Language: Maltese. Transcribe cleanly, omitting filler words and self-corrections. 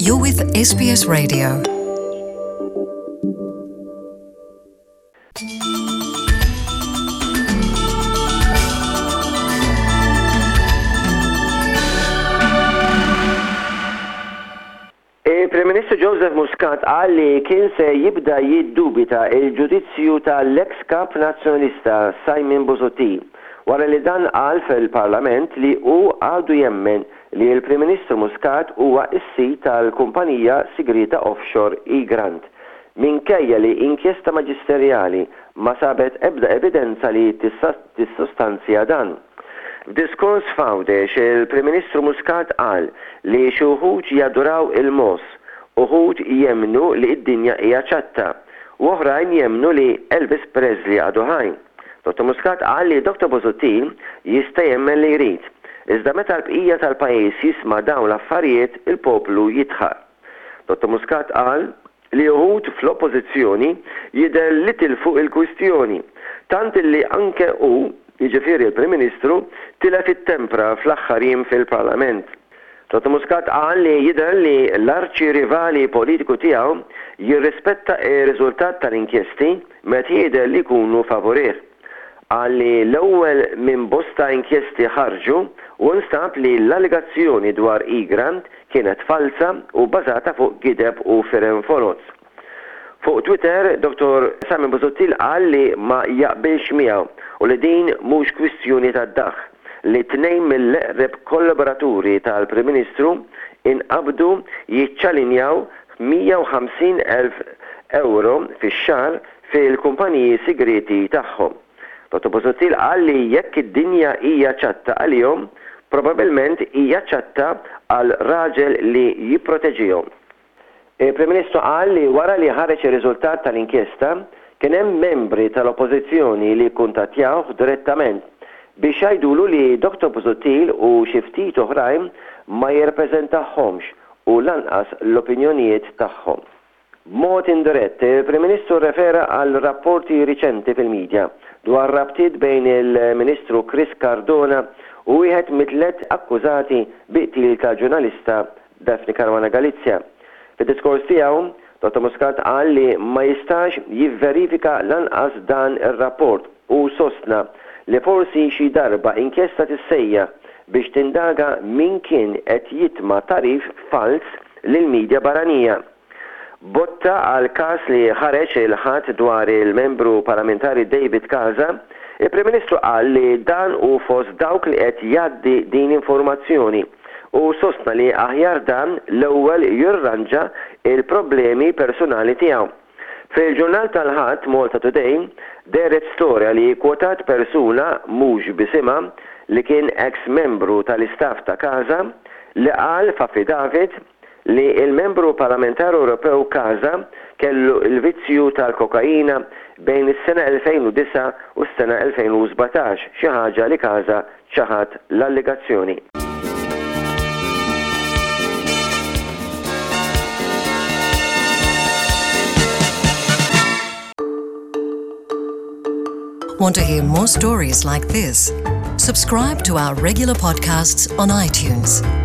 You're with SBS Radio. Il-Prim Ministru Joseph Muscat qal li kien se jibda jiddubita l-ġudizzju tal-eks Kap Nazzjonalista Simon Busuttil wara li dan qal fil-Parlament li hu għadu jemmen li l-Prim Ministru Muscat huwa s-sid tal-kumpanija sigrieta offshore Egrant minkejja li inkjesta maġisterjali ma sabet ebda evidenza li tissostanzja dan. F'diskors f'Għawdex, il-Prim Ministru Muscat qal li xi wħud jaduraw il-mogħoż, uħud jemmnu li d-dinja hija ċatta u oħrajn jemmnu li Elvis Presley għadu ħaj. Dottor Muscat qal li Dottor Busuttil jista' jemmen li jrid, iżda meta l-bqija tal-pajjiż jisma' dawn l-affarijiet il-poplu jidħaq. Dottor Muscat qal li uħud fl-Oppożizzjoni jidher li tilfu l-kwistjoni, tant illi anke hu, jiġifieri l-Prim Ministru, tilef it-tempra fl-aħħar jiem fil-Parlament. Dottor Muscat qal li jidher li l-arċi rivali politiku tiegħu jirrispetta r-riżultat tal-inkjesti meta jidher li jkunu favurih. Qal li l-ewwel minn bosta inkjesti ħarġu u nstab li l-allegazzjoni dwar Egrant kienet falza u bbażata fuq gideb u firem foloz. Fuq Twitter, Dottor Simon Busuttil qal li ma jaqbilx miegħu u li din mhux kwistjoni tad-daħq li tnejn mill-eqreb kollaboraturi tal-Prim Ministru inqabdu jiċċalinjaw 150,000 ewro fix-xahar fil-kumpaniji sigrieti tagħhom. Dottor Busuttil qal li jekk id-dinja hija ċatta għalihom, probabbilment hija ċatta għal raġel li jipproteġihom. Il-Prim Ministru qal li wara li ħareġ ir-riżultat tal-inkjesta, kien hemm membri tal-Oppożizzjoni li kkuntattjawh direttament biex jgħidulu li Dottor Busuttil u xi ftit oħrajn ma jirrappreżentahomx u lanqas l-opinjonijiet tagħhom. B'mod indirett, il-Prim Ministru rrefera għal rapporti riċenti fil-midja dwar rabtiet bejn il-Ministru Chris Cardona u wieħed mit-tliet akkużati bi qtil tal-ġurnalista Daphne Caruana Galizia. Fid-diskors tiegħu, Dottor Muscat qal li ma jistax jivverifika lanqas dan ir-rapport u sostna li forsi xi darba inkjesta tissejjaħ biex tindaga min kien qed jitma' tagħrif falz lill-midja barranija. Botta għal każ li ħareġ il-Ħadd dwar il-Membru Parlamentari David Casa, il-Prim Ministru qal li dan hu fost dawk li qed jgħaddi din informazzjoni u sostna li aħjar dan l-ewwel jirranġa l-problemi personali tiegħu. Fil-ġurnal tal-Ħadd, Malta Today, dehret storja li kkwotat persuna mhux b'isimha li kien eks membru tal-istaff ta' Casa li qal f'affidavit li l-Membru Parlamentari Ewropew Casa kellu l-vizzju tal-kokaina bejn is-sena 2009 u s-sena 2017, xi ħaġa li Casa ċaħad l-allegazzjoni. Want to hear more stories like this? Subscribe to our regular podcasts on iTunes.